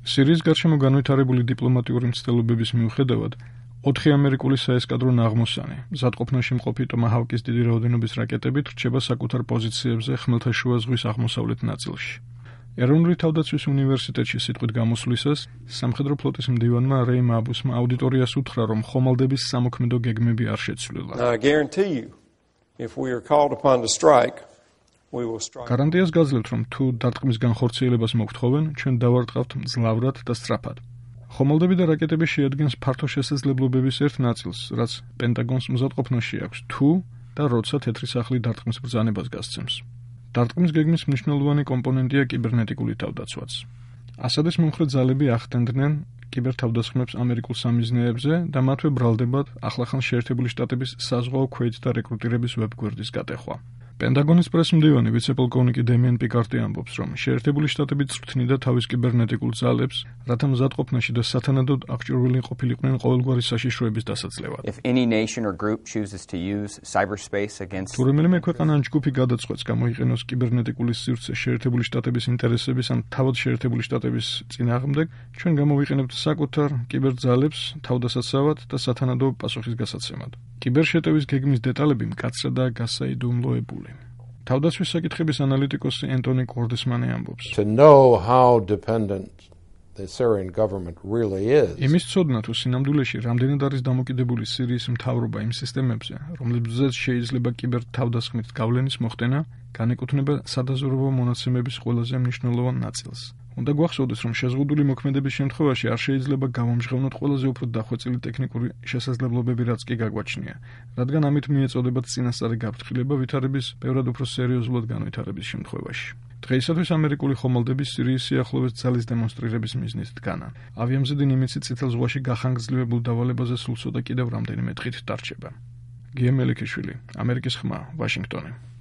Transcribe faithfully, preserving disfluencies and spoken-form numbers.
სირიის გარშემო განვითარებული დიპლომატიური მცდელობების მიუხედავად, ოთხი ამერიკული საესკადრო ნაღმოსანი, მზადყოფნაში მყოფი ტომაჰავკის დიდი რაოდენობის რაკეტებით რჩება საკუთარ პოზიციებზე ხმელთაშუა ზღვის აღმოსავლეთ ნაწილში. ეროვნული თავდაცვის უნივერსიტეტში სიტყვით გამოსვლისას, სამხედრო ფლოტის მდივანმა რეიმ აბუსმა აუდიტორიას უთხრა, რომ ხომალდების სამოქმედო გეგმები არ შეცვლილა. გარანტიას გაძლევთ, რომ თუ დარტყმის განხორციელებას მოგთხოვენ, ჩვენ დავარტყავთ მძლავრად და სწრაფად. ხომალდები და რაკეტები შეადგენს ფართო შესაძლებლობების ერთ ნაწილს, რაც პენტაგონს მზადყოფნაში აქვს, თუ და როცა თეთრი სახლი დარტყმის ბრძანებას გასცემს. დარტყმის გეგმის მნიშვნელოვანი კომპონენტია კიბერნეტიკული თავდაცვაც. ასადის მომხრე ძალები ახდენდნენ კიბერთავდასხმებს ამერიკულ სამიზნეებზე და მათვე ბრალდებად ახლახან შეერთებული შტატების საზღვაო ქვეით და რეკრუტირების ვებგვერდის გატეხვა. პენტაგონის პრესმდივანი ვიცე-პოლკოვნიკი დემიენ პიკარტი ამბობს, რომ შეერთებული შტატები წვრთნიდა თავის კიბერნეტიკულ ძალებს, რათა მზადყოფნაში და სათანადოდ აღჭურვილი ყოფილიყვნენ ყოველგვარი საშიშროების დასაძლევად. თუ რომელიმე ქვეყანა ან ჯგუფი გადაწყვეტს გამოიყენოს კიბერნეტიკული სივრცე შეერთებული შტატების ინტერესების ან თავად შეერთებული შტატების წინააღმდეგ, ჩვენ გამოვიყენებთ საკუთარ კიბერძალებს თავდასაცავად და სათანადო პასუხის გასაცემად. კიბერშეტევის გეგმის დეტალები მკაცრადაა გასაიდუმლოებული. თავდაცვის საკითხების ანალიტიკოსი ენტონი კორდესმანი ამბობს. იმის ცოდნა თუ სინამდვილეში რამდენად არის დამოკიდებული სირიის მთავრობა იმ სისტემებზე, რომლებზეც შეიძლება კიბერთავდასხმით გავლენის მოხდენა, განეკუთვნება სადაზვერვო მონაცემების ყველაზე მნიშვნელოვან ნაწილს. უნდა გვახსოვდეს, რომ შეზღუდული მოქმედების შემთხვევაში არ შეიძლება გავამჟღავნოთ ყველაზე უფრო დახვეწილი ტექნიკური შესაძლებლობები, რაც კი გაგვაჩნია, რადგან ამით მიეწოდებათ წინასწარი გაფრთხილება ვითარების ბევრად უფრო სერიოზულად განვითარების შემთხვევაში. დღეისათვის ამერიკული ხომალდები სირიის სიახლოვეს ძალის დემონსტრირების მიზნით დგანან. ავიამზედი ნიმიცი წითელ ზღვაში გახანგრძლივებულ დავალებაზე სულ ცოტა კიდევ რამდენიმე დღით დარჩება. გია მელიქიშვილი, ამერიკის ხმა, ვაშინგტონი.